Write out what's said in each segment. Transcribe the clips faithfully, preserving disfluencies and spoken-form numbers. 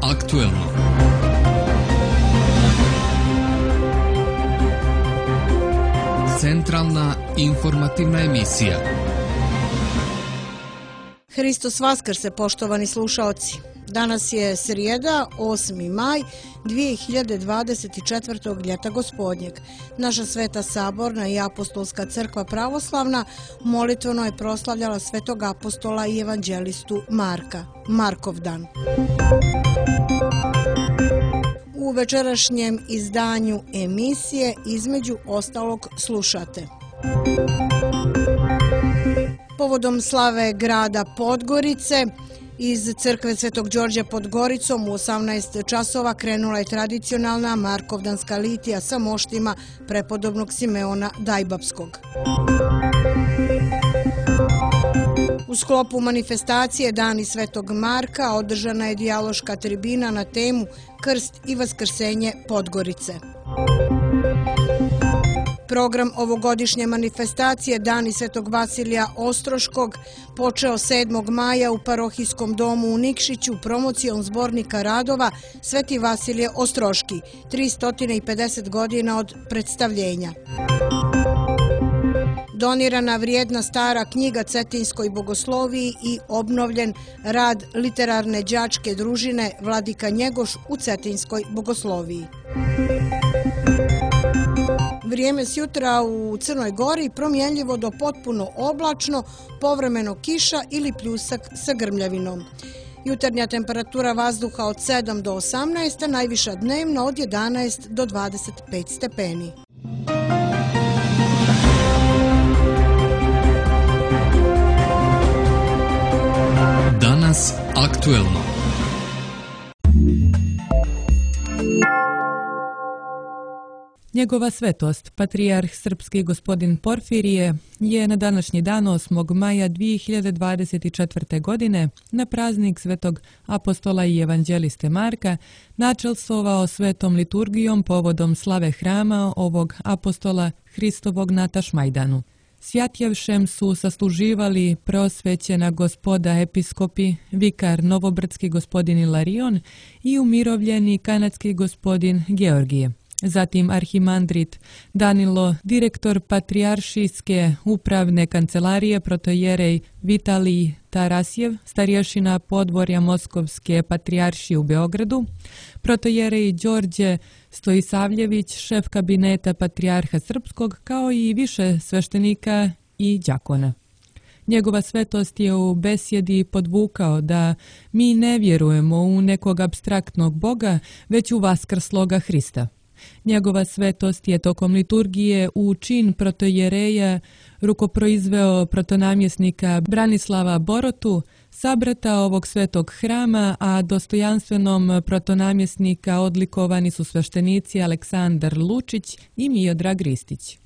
aktuelno. Centralna informativna emisija. Hristos Vaskrse, poštovani slušaoci. Danas je srijeda, osmi maj dvije hiljade dvadeset četvrtog. ljeta gospodnjeg. Naša Sveta Saborna i Apostolska crkva pravoslavna molitveno je proslavljala svetog apostola i evanđelistu Marka, Markov dan. U večerašnjem izdanju emisije između ostalog slušate. Povodom slave grada Podgorice, iz crkve Svetog Đorđa pod Goricom u osamnaest časova krenula je tradicionalna Markovdanska litija sa moštima prepodobnog Simeona Dajbapskog. U sklopu manifestacije Dani Svetog Marka održana je dijaloška tribina na temu Krst i vaskrsenje Podgorice. Program ovogodišnje manifestacije Dani Svetog Vasilija Ostroškog počeo sedmog maja u parohijskom domu u Nikšiću promocijom zbornika radova Sveti Vasilije Ostroški, tristo pedeset godina od predstavljenja. Donirana vrijedna stara knjiga Cetinskoj bogosloviji i obnovljen rad literarne đačke družine Vladika Njegoš u Cetinskoj bogosloviji. Vrijeme s jutra u Crnoj Gori promjenljivo do potpuno oblačno, povremeno kiša ili pljusak sa grmljavinom. Jutarnja temperatura vazduha od sedam do osamnaest, a najviša dnevna od jedanaest do dvadeset pet stepeni. Danas aktuelno. Njegova svetost, patrijarh srpski gospodin Porfirije, je na današnji dan osmog maja dvije hiljade dvadeset četvrte. godine na praznik svetog apostola i evanđeliste Marka načelstvovao svetom liturgijom povodom slave hrama ovog apostola Hristovog na Tašmajdanu. Svjatjevšem su sasluživali preosvećena gospoda episkopi, vikar novobrdski gospodin Ilarion i umirovljeni kanadski gospodin Georgije. Zatim arhimandrit Danilo, direktor patrijaršijske upravne kancelarije protojerej Vitalij Tarasjev, starješina podvorja Moskovske patrijaršije u Beogradu, protojerej Đorđe Stojisavljević, šef kabineta patrijarha srpskog, kao i više sveštenika i đakona. Njegova svetost je u besjedi podvukao da mi ne vjerujemo u nekog apstraktnog Boga, već u vaskrsloga Hrista. Njegova svetost je tokom liturgije u čin protojereja rukoproizveo protonamjesnika Branislava Borotu, sabrata ovog svetog hrama, a dostojanstvenom protonamjesnika odlikovani su sveštenici Aleksandar Lučić i Miodrag Ristić.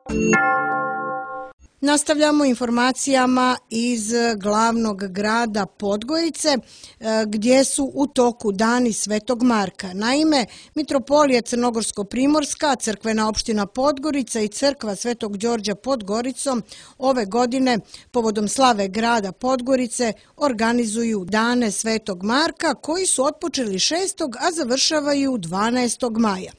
Nastavljamo informacijama iz glavnog grada Podgorice, gdje su u toku Dani Svetog Marka. Naime, Mitropolija Crnogorsko-Primorska, crkvena opština Podgorica i crkva Svetog Đorđa pod Goricom ove godine povodom slave grada Podgorice organizuju Dane Svetog Marka koji su otpočeli šestog. a završavaju dvanaestog maja.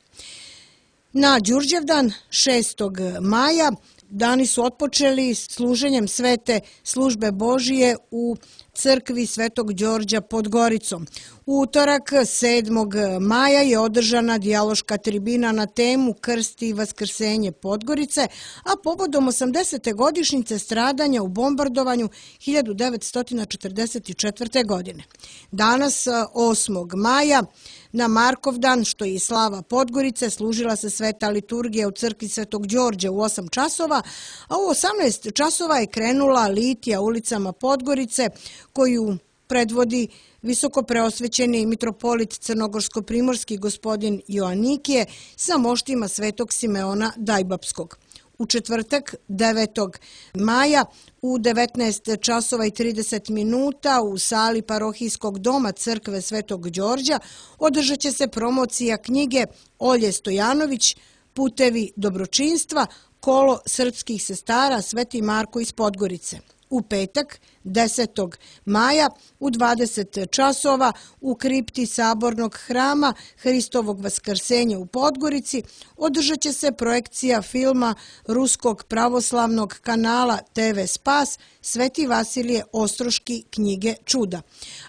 Na Đurđevdan šestog maja dani su otpočeli služenjem svete službe Božije u crkvi Svetog Đorđa pod Goricom. U utorak sedmog maja je održana dijaloška tribina na temu Krst i vaskrsenje Podgorice, a povodom osamdesete godišnjice stradanja u bombardovanju hiljadu devetsto četrdeset četvrte. godine. Danas, osmog maja, na Markov dan, što je i slava Podgorice, služila se sveta liturgija u crkvi Svetog Đorđa u osam časova, a u osamnaest časova je krenula litija ulicama Podgorice, koju predvodi visoko preosvećeni mitropolit Crnogorsko-Primorski gospodin Joanikije sa moštima svetog Simeona Dajbapskog. U četvrtak, devetog maja, u devetnaest časova i trideset minuta u sali parohijskog doma crkve Svetog Đorđa održat će se promocija knjige Olje Stojanović Putevi dobročinstva, kolo srpskih sestara Sveti Marko iz Podgorice. u petak desetog maja u dvadeset časova u kripti Sabornog hrama Hristovog vaskrsenja u Podgorici održat će se projekcija filma Ruskog pravoslavnog kanala te ve Spas Sveti Vasilije Ostroški knjige čuda.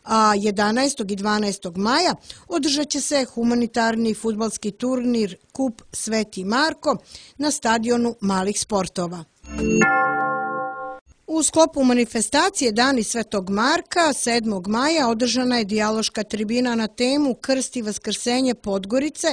A jedanaestog i dvanaestog maja održat će se humanitarni fudbalski turnir Kup Sveti Marko na stadionu malih sportova. U sklopu manifestacije Dani Svetog Marka sedmog maja održana je dijaloška tribina na temu Krst i vaskrsenje Podgorice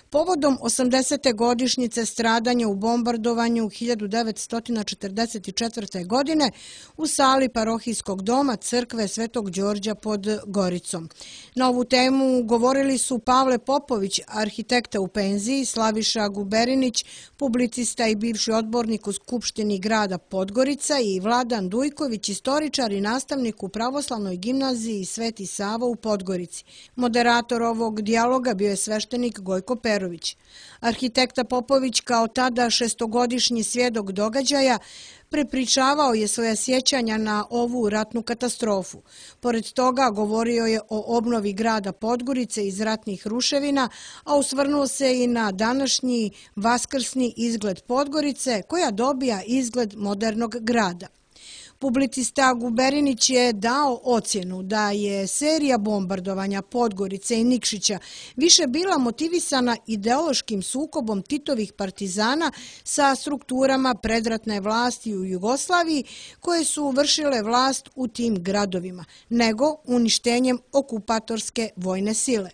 povodom osamdesete godišnjice stradanja u bombardovanju hiljadu devetsto četrdeset četvrte. godine u sali parohijskog doma crkve Svetog Đorđa pod Goricom. Na ovu temu govorili su Pavle Popović, arhitekta u penziji, Slaviša Guberinić, publicista i bivši odbornik u Skupštini grada Podgorica i Vladan Dujković, istoričar i nastavnik u Pravoslavnoj gimnaziji Sveti Sava u Podgorici. Moderator ovog dijaloga bio je sveštenik Gojko Perović. Arhitekta Popović, kao tada šestogodišnji svjedok događaja, prepričavao je svoja sjećanja na ovu ratnu katastrofu. Pored toga govorio je o obnovi grada Podgorice iz ratnih ruševina, a osvrnuo se i na današnji vaskrsni izgled Podgorice koja dobija izgled modernog grada. Publicista Guberinić je dao ocjenu da je serija bombardovanja Podgorice i Nikšića više bila motivisana ideološkim sukobom Titovih partizana sa strukturama predratne vlasti u Jugoslaviji koje su vršile vlast u tim gradovima, nego uništenjem okupatorske vojne sile.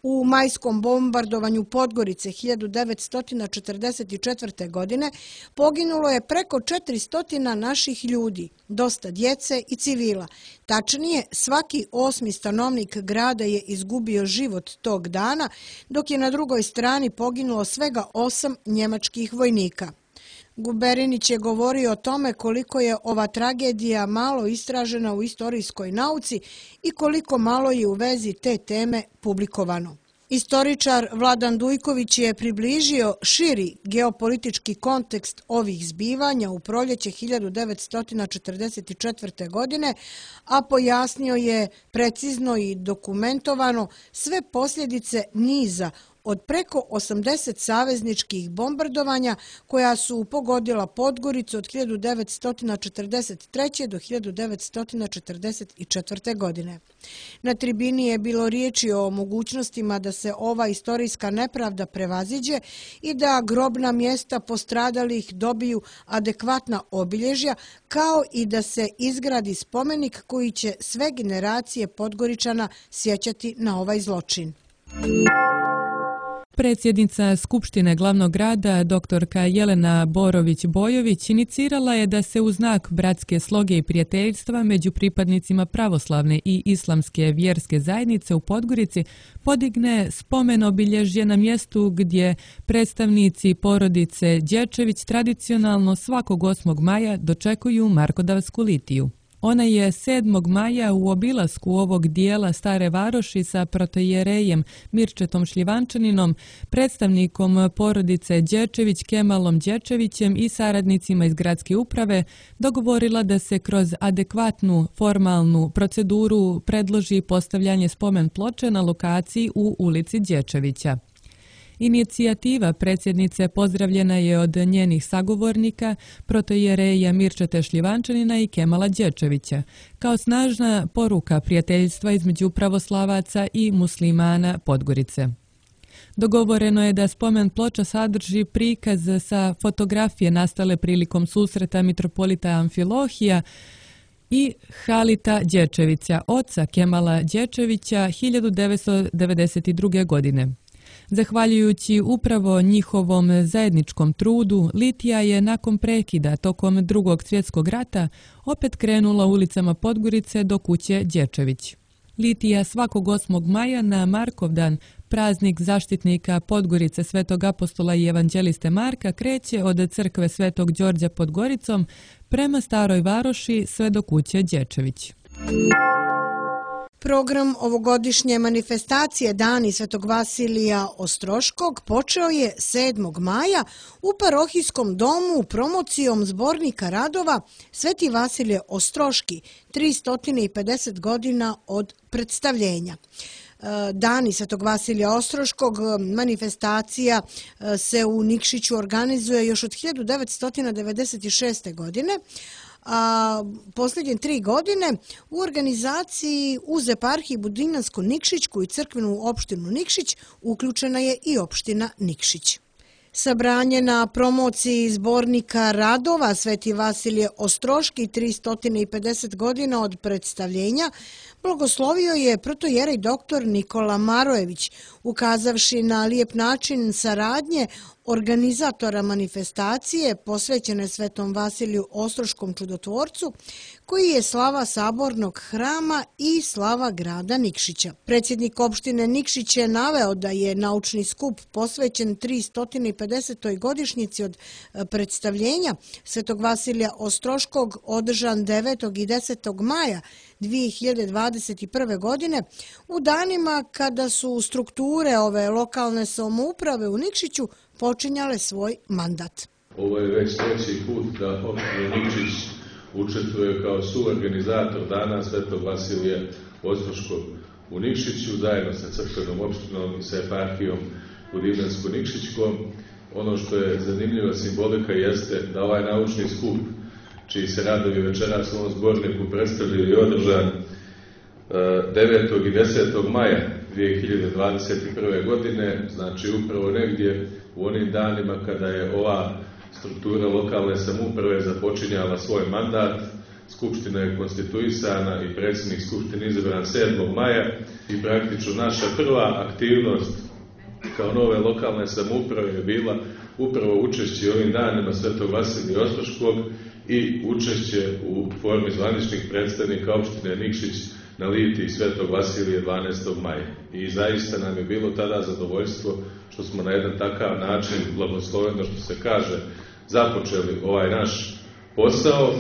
U majskom bombardovanju Podgorice hiljadu devetsto četrdeset četvrte. godine poginulo je preko četiristo naših ljudi, dosta djece i civila. Tačnije, svaki osmi stanovnik grada je izgubio život tog dana, dok je na drugoj strani poginulo svega osam njemačkih vojnika. Guberinić je govorio o tome koliko je ova tragedija malo istražena u istorijskoj nauci i koliko malo je u vezi te teme publikovano. Istoričar Vladan Dujković je približio širi geopolitički kontekst ovih zbivanja u proljeće hiljadu devetsto četrdeset četvrte. godine, a pojasnio je precizno i dokumentovano sve posljedice niza od preko osamdeset savezničkih bombardovanja koja su pogodila Podgoricu od hiljadu devetsto četrdeset treće. do hiljadu devetsto četrdeset četvrte. godine. Na tribini je bilo riječi o mogućnostima da se ova istorijska nepravda prevaziđe i da grobna mjesta postradalih dobiju adekvatna obilježja, kao i da se izgradi spomenik koji će sve generacije Podgoričana sjećati na ovaj zločin. Predsjednica Skupštine glavnog grada, doktorka Jelena Borović-Bojović, inicirala je da se u znak bratske sloge i prijateljstva među pripadnicima pravoslavne i islamske vjerske zajednice u Podgorici podigne spomen obilježje na mjestu gdje predstavnici porodice Đečević tradicionalno svakog osmog maja dočekuju Markodavsku litiju. Ona je sedmog maja u obilasku ovog dijela Stare Varoši sa protojerejem Mirčetom Šljivančaninom, predstavnikom porodice Đečević Kemalom Đečevićem i saradnicima iz gradske uprave dogovorila da se kroz adekvatnu formalnu proceduru predloži postavljanje spomen ploče na lokaciji u ulici Đečevića. Inicijativa predsjednice pozdravljena je od njenih sagovornika, protojereja Mirčeta Šljivančanina i Kemala Đečevića, kao snažna poruka prijateljstva između pravoslavaca i muslimana Podgorice. Dogovoreno je da spomen ploča sadrži prikaz sa fotografije nastale prilikom susreta mitropolita Amfilohija i Halita Đečevića, oca Kemala Đečevića hiljadu devetsto devedeset druge. godine. Zahvaljujući upravo njihovom zajedničkom trudu, litija je nakon prekida tokom drugog svjetskog rata opet krenula ulicama Podgorice do kuće Đečević. Litija svakog osmog maja na Markovdan, praznik zaštitnika Podgorice Svetog apostola i evanđeliste Marka, kreće od crkve Svetog Đorđa pod Goricom prema Staroj Varoši sve do kuće Đečević. Program ovogodišnje manifestacije Dani Svetog Vasilija Ostroškog počeo je sedmog maja u parohijskom domu promocijom zbornika radova Sveti Vasilije Ostroški, tristo pedeset godina od predstavljenja. Dani Svetog Vasilija Ostroškog manifestacija se u Nikšiću organizuje još od hiljadu devetsto devedeset šeste. godine, a posljednje tri godine u organizaciji uz eparhiji Budinansku-Nikšićku i crkvenu opštinu Nikšić uključena je i opština Nikšić. Sabranje na promociji zbornika radova Sveti Vasilije Ostroški, tristo pedeset godina od predstavljenja, blagoslovio je protojerej doktor Nikola Marojević, ukazavši na lijep način saradnje organizatora manifestacije posvećene Svetom Vasiliju Ostroškom čudotvorcu, koji je slava sabornog hrama i slava grada Nikšića. Predsjednik opštine Nikšić je naveo da je naučni skup posvećen tristo pedesetoj godišnjici od predstavljenja Svetog Vasilija Ostroškog održan devetog i desetog maja dvije hiljade dvadeset prve. godine u danima kada su strukture ove lokalne samouprave u Nikšiću počinjale svoj mandat. Ovo je već treći put da opština Nikšić učestvuje kao suorganizator Dana Svetog Vasilija Ostroškog u Nikšiću zajedno sa crkvenom opštinom i sa eparhijom Budinansku-Nikšićkom. Ono što je zanimljiva simbolika jeste da ovaj naučni skup, čiji se radovi večeras u ovom zborniku predstavljaju i održan devetog i desetog maja dvije hiljade dvadeset prve. godine, znači upravo negdje u onim danima kada je ova struktura lokalne samouprave započinjala svoj mandat. Skupština je konstituisana i predsjednik skupštine izabran sedmog maja i praktično naša prva aktivnost kao nove lokalne samouprave je bila upravo učešće ovim danima Svetog Vasilija Ostroškog i učešće u formi zvaničnih predstavnika opštine Nikšić na litiji Svetog Vasilija dvanaestog maja. I zaista nam je bilo tada zadovoljstvo što smo na jedan takav način, blagosloveno što se kaže, započeli ovaj naš posao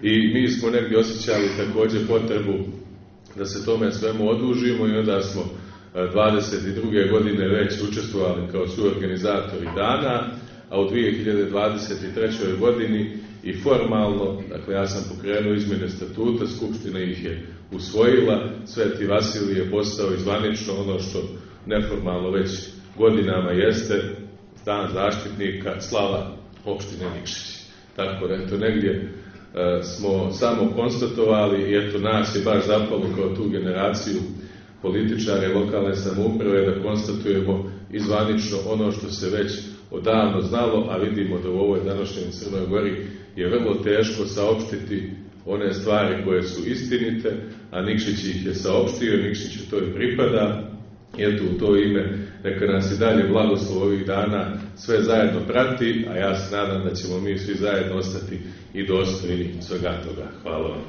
i mi smo negdje osjećali također potrebu da se tome svemu odužimo i onda smo dvadeset druge. godine već učestvovali kao suorganizatori dana, a u dvije hiljade dvadeset trećoj. godini i formalno, dakle ja sam pokrenuo izmjene statuta, Skupština ih je usvojila, Sveti Vasilij je postao i zvanično ono što neformalno već godinama jeste dan zaštitnika, slava opštine Nikšić. Tako da eto negdje e, smo samo konstatovali i eto nas je baš zapalo kao tu generaciju političare lokalne samouprave da konstatujemo i zvanično ono što se već odavno znalo, a vidimo da u ovoj današnjoj Crnoj Gori je vrlo teško saopštiti one stvari koje su istinite, a Nikšić ih je saopštio, Nikšiću to i pripada. I eto u to ime neka nas i dalje blagoslov ovih dana sve zajedno prati, a ja se nadam da ćemo mi svi zajedno ostati i dostojni svega toga. Hvala vam.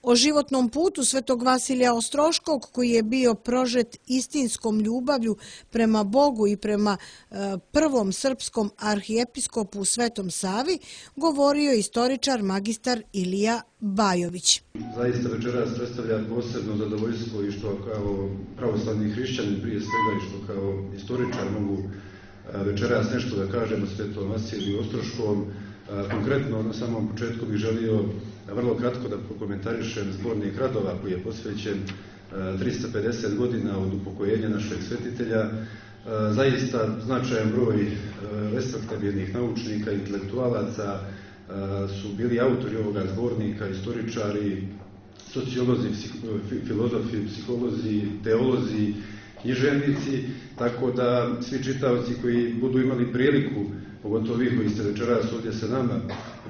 O životnom putu Svetog Vasilija Ostroškog, koji je bio prožet istinskom ljubavlju prema Bogu i prema e, prvom srpskom arhijepiskopu Svetom Savi, govorio je istoričar magistar Ilija Bajović. Zaista večeras predstavlja posebno zadovoljstvo i što kao pravoslavni hrišćanin prije svega i što kao istoričar mogu večeras nešto da kažem o Svetom Vasiliju Ostroškom. Konkretno, na samom početku bih želio vrlo kratko da prokomentarišem zbornik radova koji je posvećen tristo pedeset godina od upokojenja našeg svetitelja. Zaista značajan broj respektabilnih naučnika, intelektualaca su bili autori ovoga zbornika, istoričari, sociolozi, filozofi, psiholozi, teolozi, književnici, tako da svi čitaoci koji budu imali priliku, pogotovo vi koji ste večeras ovdje sa nama,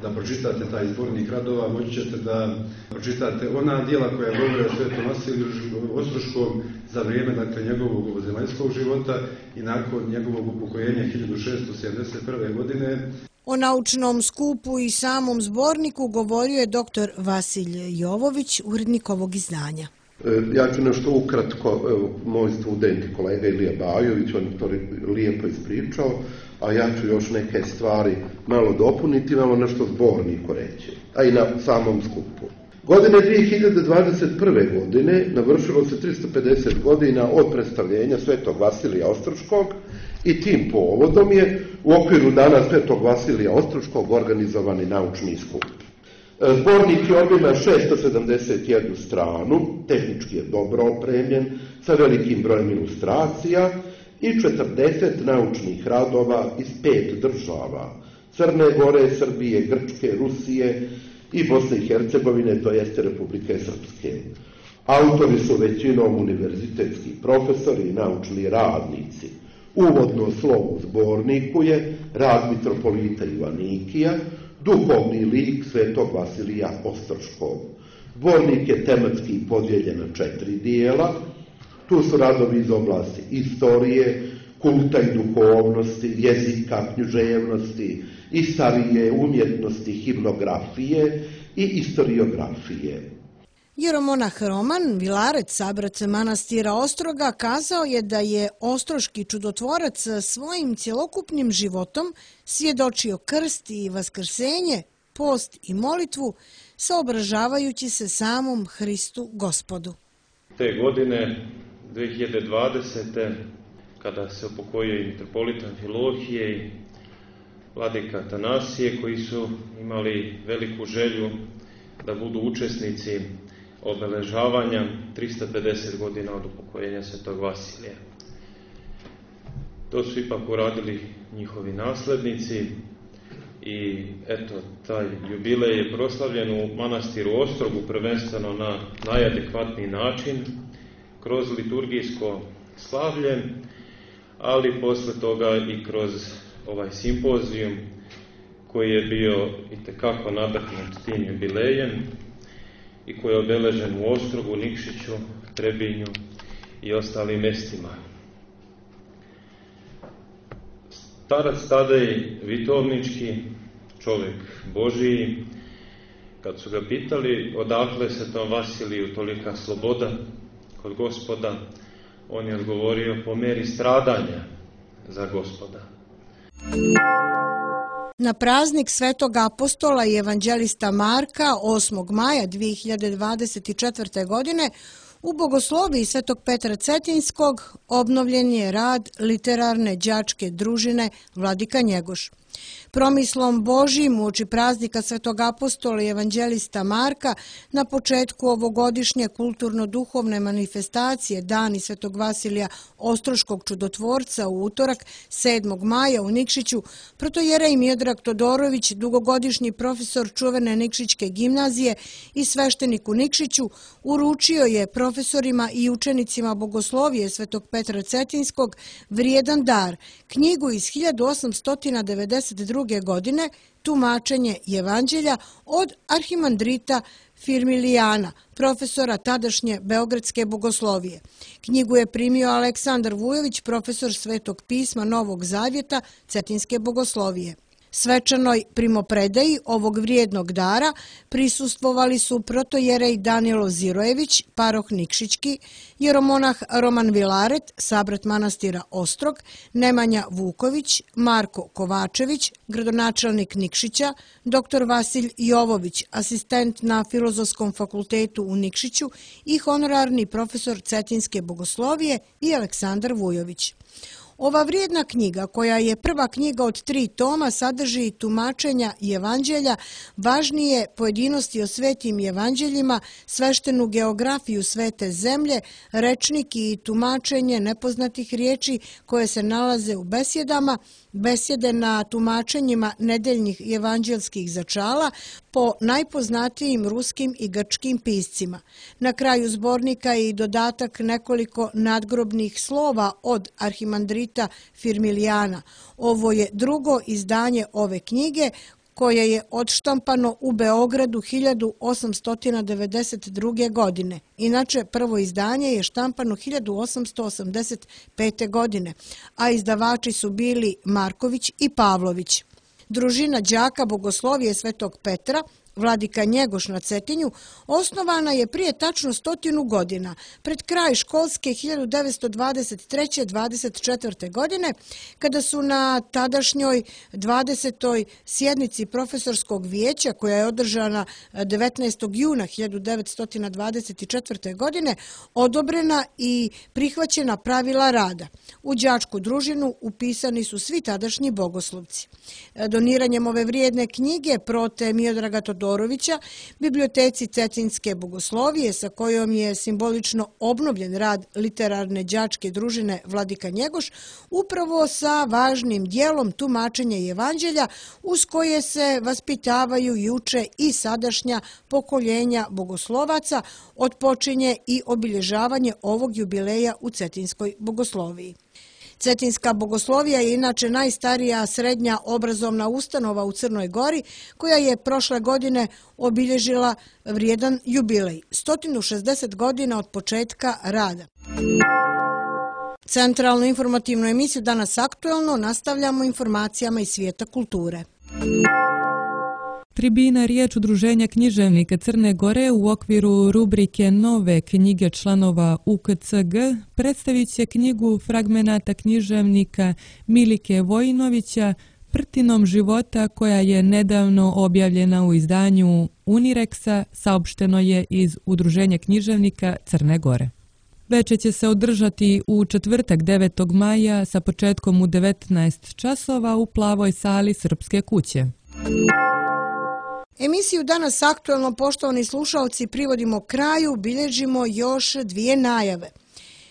da pročitate taj zbornik radova, moći ćete da pročitate ona dijela koja govore o Svetom Vasiliju Ostroškom za vrijeme dakle, njegovog ovozemaljskog života i nakon njegovog upokojenja hiljadu šeststo sedamdeset prve. godine. O naučnom skupu i samom zborniku govorio je doktor Vasilij Jovović, urednik ovog izdanja. Ja ću nešto ukratko, evo, moj student i kolega Ilija Bajović, on je to lijepo ispričao, a ja ću još neke stvari malo dopuniti, malo nešto zborniku reći, a i na samom skupu. Godine dvije hiljade dvadeset prve. godine navršilo se tristo pedeset godina od predstavljenja Svetog Vasilija Ostroškog i tim povodom je u okviru Dana Svetog Vasilija Ostroškog organizovani naučni skup. Zbornik je obima šesto sedamdeset jednu stranu, tehnički je dobro opremljen, sa velikim brojem ilustracija i četrdeset naučnih radova iz pet država, Crne Gore, Srbije, Grčke, Rusije i Bosne i Hercegovine, to jeste Republike Srpske. Autori su većinom univerzitetski profesori i naučni radnici. Uvodno slovo u zborniku je rad mitropolita Ivanikija, duhovni lik Svetog Vasilija Ostroškog. Zbornik je tematski podijeljen na četiri dijela. Tu su radovi iz oblasti istorije, kulta i duhovnosti, jezika, književnosti, istorije, umjetnosti, himnografije i istoriografije. Jeromonah Roman Vilaret, sabrat manastira Ostroga, kazao je da je ostroški čudotvorac svojim cjelokupnim životom svjedočio krst i vaskrsenje, post i molitvu, saobražavajući se samom Hristu Gospodu. Te godine, dvije hiljade dvadesete. kada se upokojio i mitropolit Amfilohije i vladika Atanasije, koji su imali veliku želju da budu učesnici obeležavanja tristo pedeset godina od upokojenja Svetog Vasilija. To su ipak uradili njihovi naslednici i eto, taj jubilej je proslavljen u manastiru Ostrogu prvenstveno na najadekvatniji način, kroz liturgijsko slavlje, ali posle toga i kroz ovaj simpozijum koji je bio itekako nadahnut tim jubilejem i koji je obeležen u Ostrogu, Nikšiću, Trebinju i ostalim mestima. Starac Tadej Vitovnički, čovjek Božiji, kad su ga pitali odakle Svetom Vasiliju tolika sloboda kod Gospoda, on je odgovorio po meri stradanja za Gospoda. Na praznik Svetog apostola i evanđelista Marka osmog maja dvije hiljade dvadeset četvrte. godine u bogosloviji Svetog Petra Cetinskog obnovljen je rad literarne đačke družine Vladika Njegoš. Promislom Božijim uoči praznika Svetog apostola i evanđelista Marka na početku ovogodišnje kulturno-duhovne manifestacije Dani Svetog Vasilija Ostroškog čudotvorca u utorak sedmog maja u Nikšiću, protojerej Miodrag Todorović, dugogodišnji profesor čuvene Nikšićke gimnazije i sveštenik u Nikšiću, uručio je profesorima i učenicima bogoslovije Svetog Petra Cetinskog vrijedan dar, knjigu iz hiljadu osamsto devedeset druge. godine, tumačenje Evanđelja od arhimandrita Firmilijana, profesora tadašnje Beogradske bogoslovije. Knjigu je primio Aleksandar Vujović, profesor Svetog pisma Novog Zavjeta Cetinske bogoslovije. Svečanoj primopredaji ovog vrijednog dara prisustvovali su protojerej Danilo Zirojević, paroh Nikšićki, jeromonah Roman Vilaret, sabrat manastira Ostrog, Nemanja Vuković, Marko Kovačević, gradonačelnik Nikšića, doktor Vasilj Jovović, asistent na Filozofskom fakultetu u Nikšiću i honorarni profesor Cetinske bogoslovije i Aleksandar Vujović. Ova vrijedna knjiga, koja je prva knjiga od tri toma, sadrži tumačenja Evanđelja, važnije pojedinosti o svetim evanđeljima, sveštenu geografiju svete zemlje, rečnik i tumačenje nepoznatih riječi koje se nalaze u besjedama, besjede na tumačenjima nedeljnih evanđelskih začala po najpoznatijim ruskim i grčkim piscima. Na kraju zbornika je i dodatak nekoliko nadgrobnih slova od arhimandrita Firmilijana. Ovo je drugo izdanje ove knjige, koje je odštampano u Beogradu hiljadu osamsto devedeset druge. godine. Inače, prvo izdanje je štampano hiljadu osamsto osamdeset pete. godine, a izdavači su bili Marković i Pavlović. Družina đaka bogoslovije Svetog Petra, Vladika Njegoš na Cetinju osnovana je prije tačno stotinu godina, pred kraj školske hiljadu devetsto dvadeset treće dvadeset četvrte. godine, kada su na tadašnjoj dvadesetoj sjednici profesorskog vijeća, koja je održana devetnaestog juna hiljadu devetsto dvadeset četvrte. godine, odobrena i prihvaćena pravila rada. U đačku družinu upisani su svi tadašnji bogoslovci. Doniranjem ove vrijedne knjige prote Miodraga Todorovića biblioteci Cetinske bogoslovije, sa kojom je simbolično obnovljen rad literarne đačke družine Vladika Njegoš, upravo sa važnim dijelom tumačenja evanđelja, uz koje se vaspitavaju i uče i sadašnja pokoljenja bogoslovaca, otpočinje i obilježavanje ovog jubileja u Cetinskoj bogosloviji. Cetinska bogoslovija je inače najstarija srednja obrazovna ustanova u Crnoj Gori, koja je prošle godine obilježila vrijedan jubilej, sto šezdeset godina od početka rada. Centralnu informativnu emisiju Danas aktuelno nastavljamo informacijama iz svijeta kulture. Tribina, riječ Udruženja književnika Crne Gore, u okviru rubrike Nove knjige članova U K C G predstavit će knjigu fragmenata književnika Milike Vojinovića Prtinom života, koja je nedavno objavljena u izdanju Unireksa, saopšteno je iz Udruženja književnika Crne Gore. Veče će se održati u četvrtak devetog maja sa početkom u devetnaest časova u plavoj sali Srpske kuće. Emisiju Danas aktuelno, poštovani slušalci, privodimo kraju, bilježimo još dvije najave.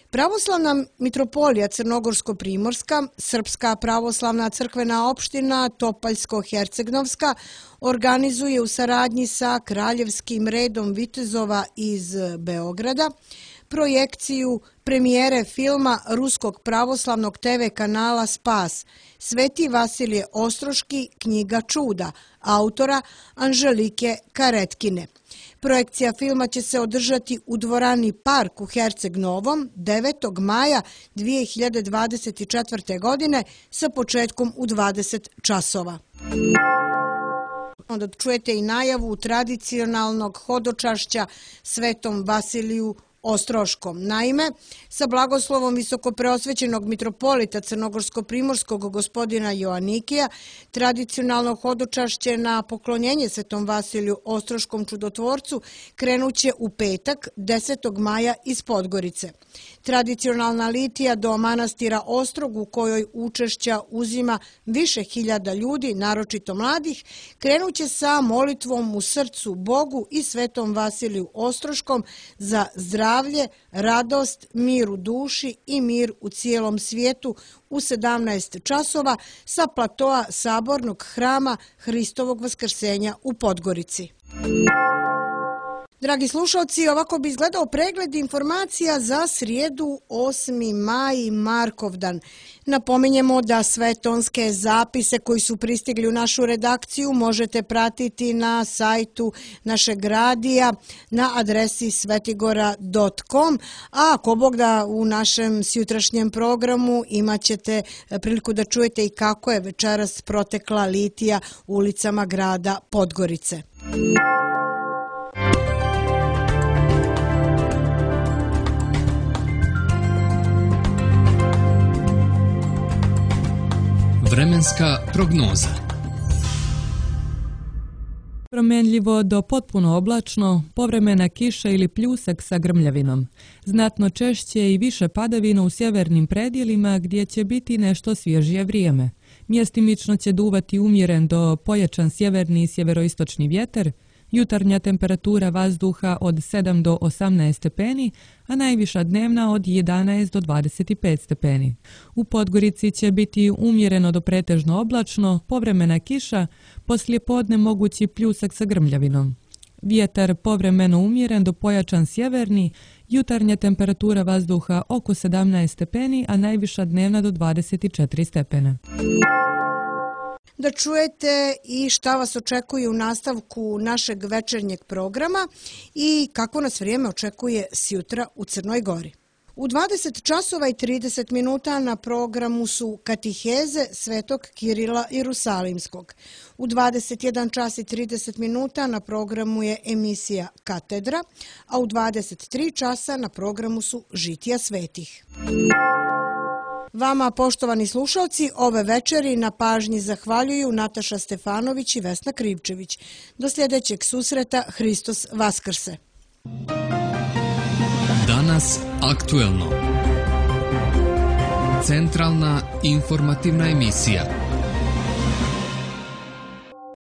Pravoslavna mitropolija Crnogorsko-Primorska, Srpska pravoslavna crkvena opština Topaljsko-Hercegnovska organizuje u saradnji sa Kraljevskim redom vitezova iz Beograda projekciju premijere filma ruskog pravoslavnog te ve kanala Spas Sveti Vasilije Ostroški, knjiga čuda, autora Anželike Karetkine. Projekcija filma će se održati u dvorani Park u Herceg Novom devetog maja dvije hiljade dvadeset četvrte. godine sa početkom u dvadeset časova. Onda čujete i najavu tradicionalnog hodočašća Svetom Vasiliju Ostroškom. Naime, sa blagoslovom visokopreosvećenog mitropolita Crnogorsko-Primorskog gospodina Joanikija, tradicionalno hodočašće na poklonjenje Svetom Vasiliju Ostroškom čudotvorcu krenuće u petak desetog maja iz Podgorice. Tradicionalna litija do manastira Ostrog, u kojoj učešća uzima više hiljada ljudi, naročito mladih, krenuće sa molitvom u srcu Bogu i Svetom Vasiliju Ostroškom za zdravlje, radost, mir u duši i mir u cijelom svijetu u sedamnaest časova sa platoa Sabornog hrama Hristovog vaskrsenja u Podgorici. Dragi slušalci, ovako bi izgledao pregled informacija za srijedu osmi maj, Markovdan. Napominjemo da sve tonske zapise koji su pristigli u našu redakciju možete pratiti na sajtu našeg radija na adresi svetigora dot com, a ako Bog da, u našem sjutrašnjem programu imat ćete priliku da čujete i kako je večeras protekla litija ulicama grada Podgorice. Vremenska prognoza. Promenljivo do potpuno oblačno, povremena kiša ili pljusak sa grmljavinom. Znatno češće i više padavina u sjevernim predjelima gdje će biti nešto svježije vrijeme. Mjestimično će duvati umjeren do pojačan sjeverni i sjeveroistočni vjetar, jutarnja temperatura vazduha od sedam do osamnaest stepeni, a najviša dnevna od jedanaest do dvadeset pet stepeni. U Podgorici će biti umjereno do pretežno oblačno, povremena kiša, poslije podne mogući pljusak sa grmljavinom. Vjetar povremeno umjeren do pojačan sjeverni, jutarnja temperatura vazduha oko sedamnaest stepeni, a najviša dnevna do dvadeset četiri stepena. Da čujete i šta vas očekuje u nastavku našeg večernjeg programa i kako nas vrijeme očekuje sjutra u Crnoj Gori. U dvadeset časova i trideset minuta na programu su katiheze Svetog Kirila Jerusalimskog. U dvadeset jedan čas i trideset minuta na programu je emisija Katedra, a u dvadeset tri časa na programu su Žitija svetih. Vama, poštovani slušalci, ove večeri na pažnji zahvaljuju Nataša Stefanović i Vesna Krivčević. Do sljedećeg susreta, Hristos Vaskrse. Danas aktuelno. Centralna informativna emisija.